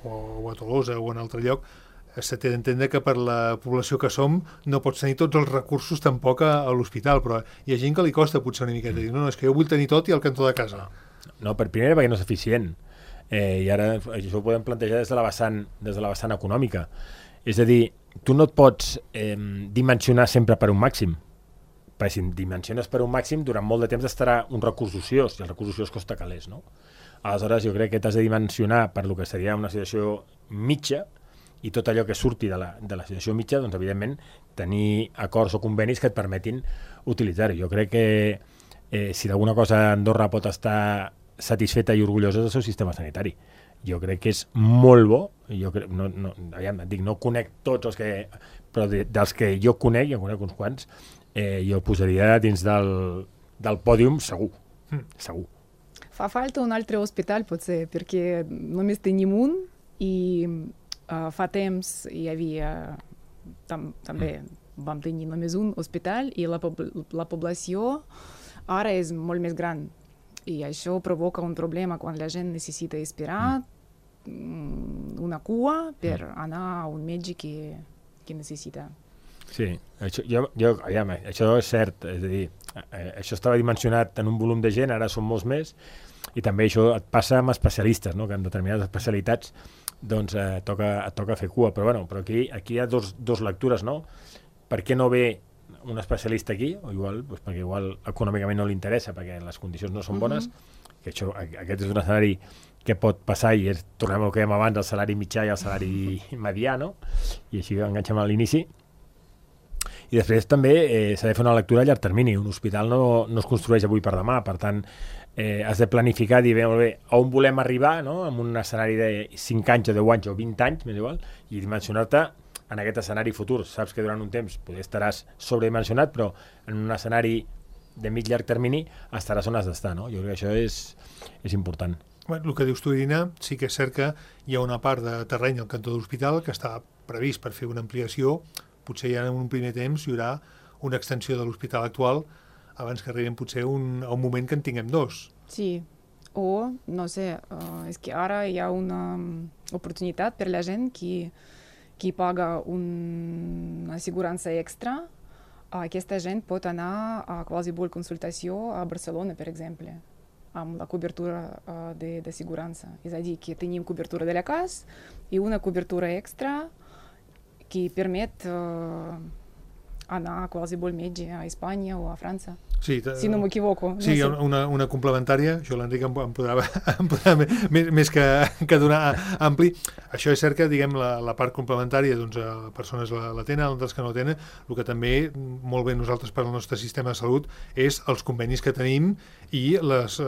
o a Tolosa o en altre lloc, se té d'entendre que per la població que som no pots tenir tots els recursos tampoc a l'hospital, però hi ha gent que li costa potser una miqueta dir, no, és que jo vull tenir tot i al cantó de casa. No, per primera perquè no és eficient, i ara això ho podem plantejar des de la vessant econòmica, és a dir, tu no et pots dimensionar sempre per un màxim, perquè si dimensiones per un màxim, durant molt de temps estarà un recurs ociós, i el recurs ociós costa calés, no? Aleshores, jo crec que t'has de dimensionar per lo que seria una situació mitja, i tot allò que surti de la situació mitja, doncs, evidentment, tenir acords o convenis que et permetin utilitzar-ho. Jo crec que si d'alguna cosa Andorra pot estar satisfeta i orgullosa del seu sistema sanitari. Jo crec que és molt bo, jo crec, no conec tots els que, però dels que jo conec uns quants, jo posaria dins del pòdium segur. Segur. Fa falta un altre hospital, potser, perquè només tenim un i fa temps hi havia també vam tenir només un hospital i la població ara és molt més gran i això provoca un problema quan la gent necessita esperar una cua per anar a un metge que necessita. Sí, això és cert, és a dir, això estava dimensionat en un volum de gent, ara són molts més, i també això et passa amb especialistes, no? Que en determinades especialitats doncs et toca fer cua, però aquí hi ha dos lectures, no? Per què no ve un especialista aquí? O igual, doncs perquè igual econòmicament no li interessa, perquè les condicions no són bones, que aquest és un escenari que pot passar i tornem al que dèiem abans, el salari mitjà i el salari medià, no? I així enganxem a l'inici. I després també s'ha de fer una lectura a llarg termini. Un hospital no es construeix avui per demà, per tant, has de planificar, dir, molt bé, on volem arribar, no? En un escenari de 5 anys o 10 anys o 20 anys, més igual, i dimensionar-te en aquest escenari futur. Saps que durant un temps potser estaràs sobredimensionat, però en un escenari de mig-llarg termini estaràs on has d'estar, no? Jo crec que això és important. Bueno, el que dius tu, Irina, sí que és cert que hi ha una part de terreny al cantó de l'hospital que està previst per fer una ampliació. Potser ja en un primer temps hi haurà una extensió de l'hospital actual abans que arribem potser a un moment que en tinguem dos. Sí, o, no sé, és que ara hi ha una oportunitat per la gent qui paga una assegurança extra. Aquesta gent pot anar a qualsevol consultació a Barcelona, per exemple, amb la cobertura d'assegurança. És a dir, que tenim cobertura de la casa i una cobertura extra que permet anar a qualsevol metge a Espanya o a França. Sí, si no m'equivoco. Sí, no sé. una complementària, això l'Enric em podrà més que donar ampli. Això és cert que, diguem, la part complementària, doncs, persones la tenen, altres que no tenen. El que també, molt bé nosaltres per al nostre sistema de salut, és els convenis que tenim i les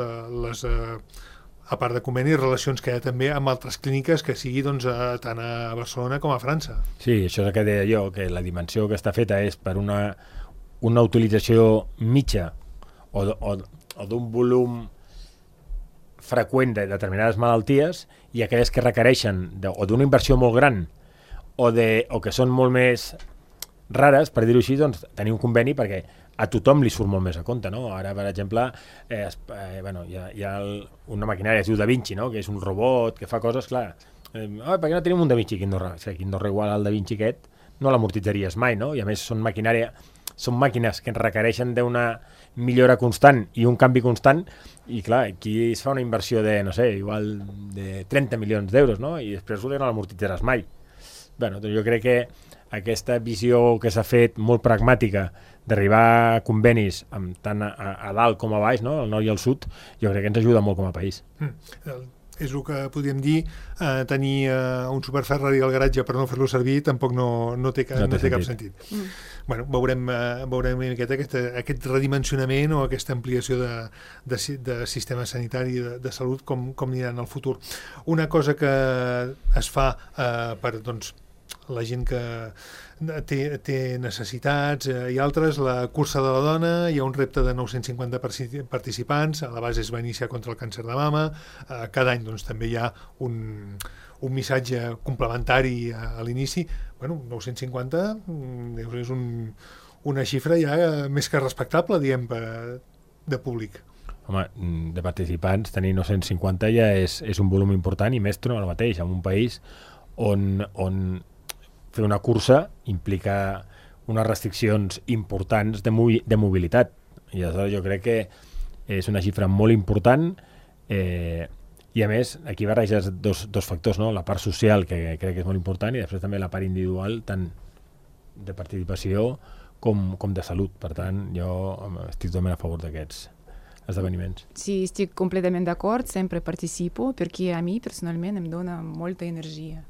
a part de convenis, relacions que hi ha també amb altres clíniques que sigui doncs, tant a Barcelona com a França. Sí, això és el que deia jo, que la dimensió que està feta és per una utilització mitja o d'un volum freqüent de determinades malalties i aquelles que requereixen o d'una inversió molt gran o que són molt més rares, per dir-ho així, doncs tenir un conveni perquè a tothom li surt molt més a compte, no? Ara, per exemple, hi ha una maquinària que es diu Da Vinci, no? Que és un robot que fa coses, clar. Per què no tenim un Da Vinci aquí a Andorra? Si aquí a Andorra igual al Da Vinci aquest no l'amortitzaries mai, no? I a més són màquines que requereixen d'una millora constant i un canvi constant, i clar, aquí es fa una inversió de, no sé, igual de 30 milions d'euros, no? I després no l'amortitzaràs mai. Doncs jo crec que aquesta visió que s'ha fet molt pragmàtica d'arribar a convenis tant a dalt com a baix, no? Al nord i al sud, jo crec que ens ajuda molt com a país. És el que podríem dir, tenir un superferrari al garatge per no fer-lo servir tampoc no té cap sentit. Bueno, veurem una miqueta aquest redimensionament o aquesta ampliació de sistema sanitari de salut com anirà en el futur. Una cosa que es fa per la gent que té necessitats i altres, la cursa de la dona, hi ha un repte de 950 participants, a la base es va iniciar contra el càncer de mama, cada any també hi ha un missatge complementari a l'inici. 950 és una xifra ja més que respectable, diguem, de públic. Home, de participants, tenir 950 ja és un volum important, i més torno al mateix, en un país on fer una cursa implica unes restriccions importants de mobilitat. I aleshores jo crec que és una xifra molt important, i a més aquí barreges dos factors, no? La part social, que crec que és molt important, i després també la part individual, tant de participació com de salut. Per tant, jo estic totalment a favor d'aquests esdeveniments. Sí, estic completament d'acord, sempre participo, perquè a mi personalment em dona molta energia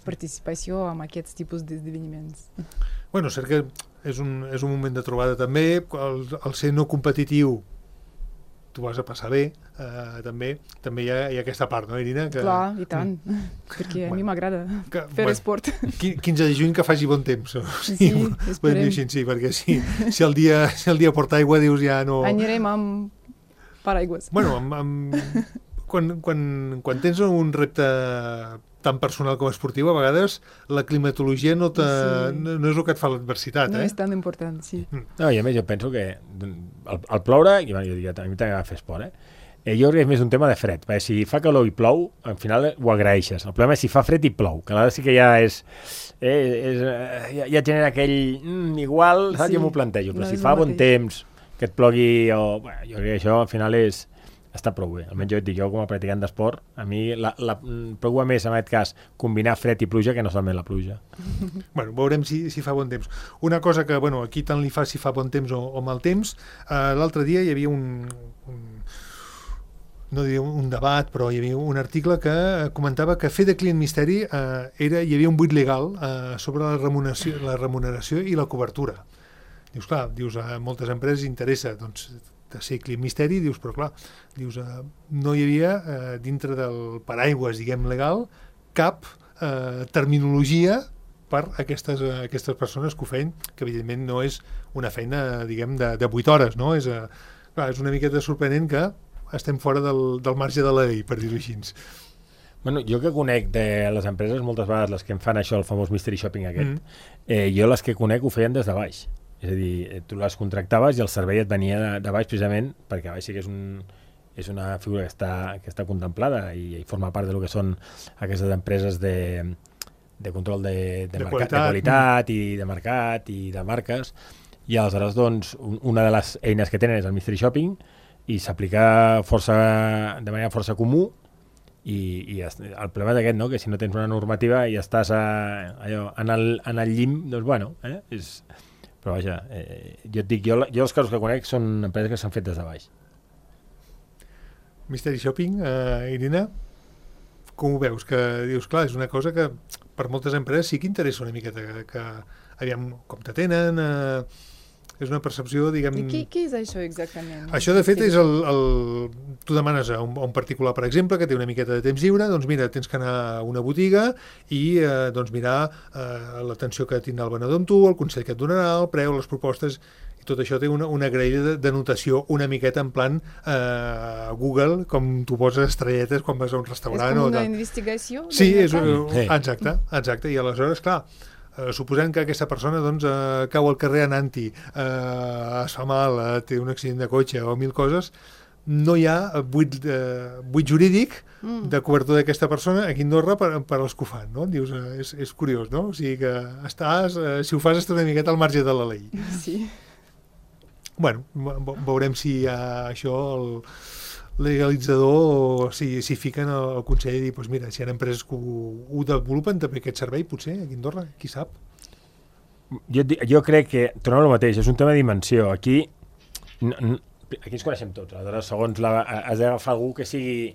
participació en aquests tipus d'esdeveniments. Cert que és un moment de trobada també, el ser no competitiu tu vas a passar bé, també hi ha aquesta part, no, Irina? Clar, i tant, perquè a mi m'agrada fer esport. 15 de juny que faci bon temps. Sí, esperem. Sí, perquè si el dia porta aigua, dius ja no... Anirem amb paraigües. Quan tens un repte tan personal com esportiu, a vegades la climatologia no és el que et fa l'adversitat. No és tan important, sí. No, i a més jo penso que al ploure, i jo dic, a mi t'agrada fer esport, jo crec que és més un tema de fred, perquè si fa calor i plou, al final ho agraeixes. El problema és si fa fred i plou, que aleshores sí que ja ja genera aquell igual, saps? Jo m'ho plantejo, però si fa bon temps, que et plogui, jo crec que això al final està prou bé. Almenys jo et dic, jo com a practicant d'esport, a mi preocupa més en aquest cas combinar fred i pluja que no solament la pluja. Veurem si fa bon temps. Una cosa que, aquí tant li fa si fa bon temps o mal temps, l'altre dia hi havia no diria un debat, però hi havia un article que comentava que fer de client misteri hi havia un buit legal sobre la remuneració i la cobertura. Dius, clar, a moltes empreses interessa, de ser client misteri, dius, però clar, no hi havia dintre del paraigües, diguem, legal, cap terminologia per aquestes persones que ho feien, que evidentment no és una feina, diguem, de 8 hores, no? És una miqueta sorprenent que estem fora del marge de la llei, per dir-ho així. Jo que conec de les empreses, moltes vegades les que em fan això, el famós mystery shopping aquest, jo les que conec ho feien des de baix. És a dir, tu les contractaves i el servei et venia de baix, precisament perquè a baix sí que és una figura que està contemplada i forma part del que són aquestes empreses de control de qualitat i de mercat i de marques, i aleshores una de les eines que tenen és el mystery shopping, i s'aplica de manera força comú, i el problema és aquest, no? Que si no tens una normativa i estàs en el llim, és... Però vaja, jo et dic, jo els casos que conec són empreses que s'han fet des de baix. Mystery shopping, Irina, com ho veus? Que dius, clar, és una cosa que per moltes empreses sí que interessa una miqueta, que aviam com te tenen, és una percepció, diguem... I què és això exactament? Això, de fet, és tu demanes a un particular, per exemple, que té una miqueta de temps lliure, doncs mira, tens que anar a una botiga i mirar l'atenció que tindrà el venedor amb tu, el consell que et donarà, el preu, les propostes, i tot això té una graella de notació una miqueta en plan Google, com tu poses estrelletes quan vas a un restaurant. És com una investigació? Sí, exacte. I aleshores, clar, suposant que aquesta persona doncs, cau al carrer anant-hi, es fa mal, té un accident de cotxe o 1000 coses, no hi ha buit jurídic de cobertura d'aquesta persona aquí a Andorra per als que ho fan, no? Dius, és curiós, no? O sigui que si ho fas estàs una miqueta al marge de la llei. Sí. Bueno, veurem si hi ha això, el legalitzador, si fiquen el Consell i dir, doncs mira, si hi ha empreses que ho desenvolupen també aquest servei, potser, aquí a Andorra, qui sap? Jo crec que, tornem al mateix, és un tema de dimensió. Aquí ens coneixem tots, aleshores segons has d'agafar algú que sigui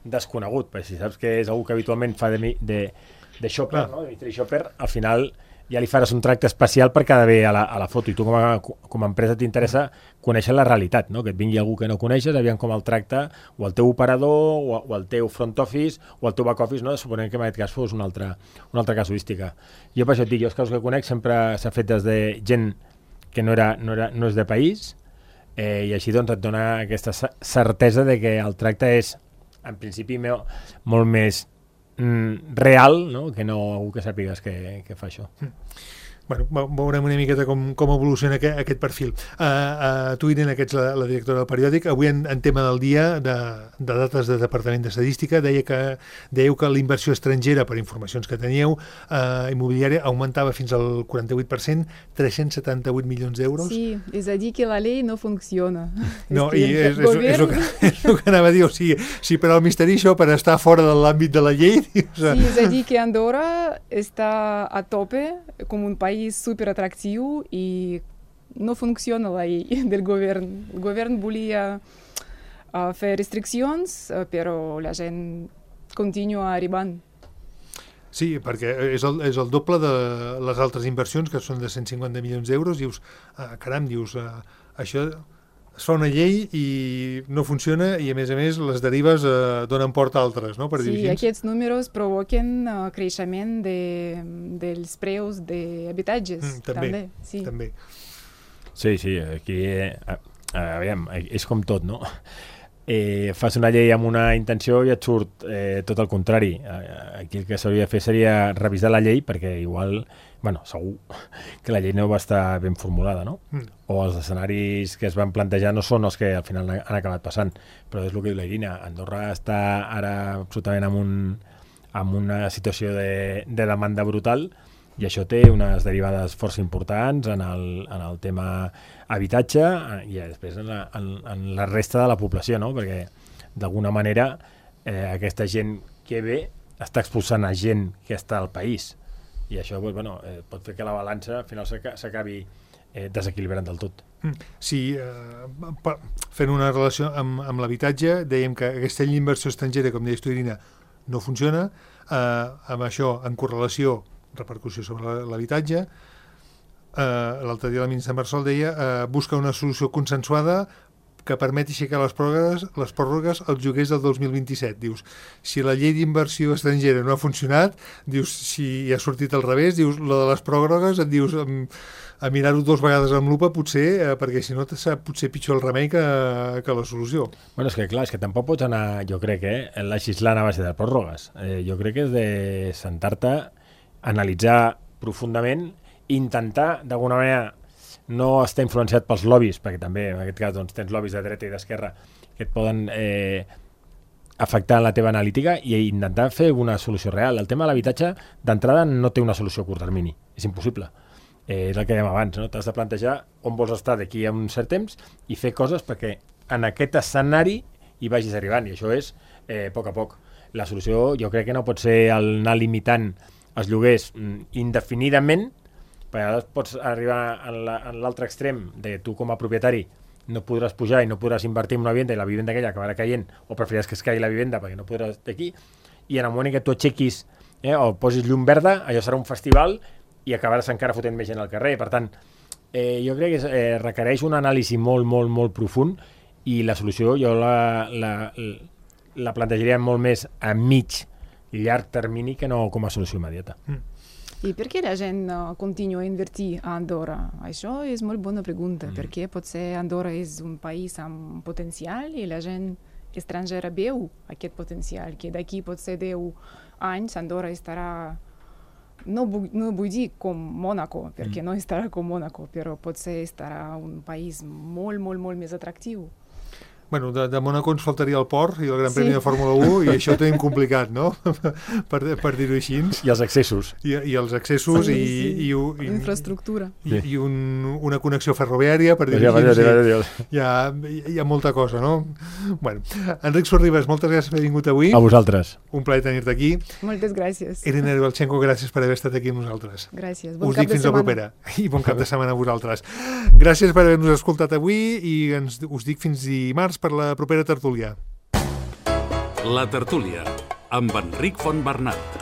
desconegut, perquè si saps que és algú que habitualment fa de shopper, no? De mystery shopper, al final ja li faràs un tracte especial per quedar bé a la foto, i tu com a empresa t'interessa conèixer la realitat, no? Que et vingui algú que no coneixes, aviam com el tracta o el teu operador, o el teu front office, o el teu back office, no? Suponem que en aquest cas fos una altra casuística. Jo per això et dic, els casos que conec sempre s'ha fet des de gent que no és de país, i així doncs et dona aquesta certesa de que el tracte és en principi molt més real, no? Que no algú que sàpigues que fa això. Bueno, veurem una miqueta com evoluciona aquest perfil. Tu, Irene, que ets la directora del periòdic, avui en tema del dia de dades de Departament d'Estadística dèieu que la inversió estrangera, per informacions que teníeu, immobiliària, augmentava fins al 48%, 378 milions d'euros. Sí, és a dir que la llei no funciona. No, i és el que anava a dir, o sigui, si per al misteri això, per estar fora de l'àmbit de la llei... Sí, és a dir que Andorra està a tope com un país super atractiu i no funciona la llei del govern. El govern volia fer restriccions, però la gent continua arribant. Sí, perquè és el doble de les altres inversions, que són de 150 milions d'euros. Dius, caram, això es fa una llei i no funciona, i a més les derives donen port a altres, no? Per sí, dir-ho així. Aquests números provoquen creixement dels preus d'habitatges. També. Sí, aquí aviam, és com tot, no? Fas una llei amb una intenció i et surt tot el contrari. Aquí el que s'hauria de fer seria revisar la llei, perquè igual, segur que la llei no va estar ben formulada, no? O els escenaris que es van plantejar no són els que al final han acabat passant. Però és el que diu la Irina, Andorra està ara absolutament en una situació de demanda brutal, i això té unes derivades força importants en el tema habitatge i després en la resta de la població, no? Perquè d'alguna manera aquesta gent que ve està expulsant a gent que està al país, i això pot fer que la balança al final s'acabi desequilibrant del tot. Sí, fent una relació amb l'habitatge, dèiem que aquesta llei d'inversió estrangera, com deies tu, Irina, no funciona. Amb això, en correlació, repercussió sobre l'habitatge. L'altre dia la ministra Marsol deia busca una solució consensuada que permeti aixecar les pròrrogues als lloguers del 2027. Dius, si la llei d'inversió estrangera no ha funcionat, dius, si ha sortit al revés, dius, la de les pròrrogues, et dius, a mirar-ho 2 vegades amb lupa, potser, perquè si no sap potser pitjor el remei que la solució. És que tampoc pots anar, jo crec, legislant a base de pròrrogues. Jo crec que és de sentar-te, analitzar profundament, intentar, d'alguna manera, no estar influenciat pels lobbies, perquè també, en aquest cas, tens lobbies de dreta i d'esquerra que et poden afectar la teva analítica, i intentar fer una solució real. El tema de l'habitatge, d'entrada, no té una solució a curt termini. És impossible. És el que dèiem abans, no? T'has de plantejar on vols estar d'aquí a un cert temps i fer coses perquè en aquest escenari hi vagis arribant, i això és a poc a poc. La solució jo crec que no pot ser anar limitant els lloguers indefinidament, perquè ara pots arribar en l'altre extrem de tu com a propietari no podràs pujar i no podràs invertir en una vivenda, i la vivenda aquella acabarà caient, o preferiràs que es caigui la vivenda perquè no podràs d'aquí, i en el moment que tu aixequis o posis llum verda, allò serà un festival i acabaràs encara fotent més gent al carrer. Per tant, jo crec que requereix un anàlisi molt, molt, molt profund, i la solució jo la plantejaria molt més a mig i llarg termini que no com a solució immediata. I per què la gent continua a invertir a Andorra? Això és molt bona pregunta, perquè potser Andorra és un país amb potencial i la gent estrangera veu aquest potencial, que d'aquí potser 10 anys Andorra estarà no vull dir com Mònaco, perquè no estarà com Mònaco, però potser estarà un país molt, molt, molt més atractiu. Bueno, de Mònaco ens faltaria el port i el Gran Premi de Fórmula 1 i això ho tenim complicat, no? per dir-ho així. I els accessos. I els accessos i infraestructura. I una connexió ferroviària, per dir-ho així. Hi ha molta cosa, no? Bueno, Enric Sorribas, moltes gràcies per haver vingut avui. A vosaltres. Un plaer tenir-te aquí. Moltes gràcies. Irene Ribalchenko, gràcies per haver estat aquí amb nosaltres. Gràcies. Us dic fins la propera. I bon cap de setmana a vosaltres. Gràcies per haver-nos escoltat avui i us dic fins dimarts per la propera tertúlia. La tertúlia, amb Enric Fontbernat.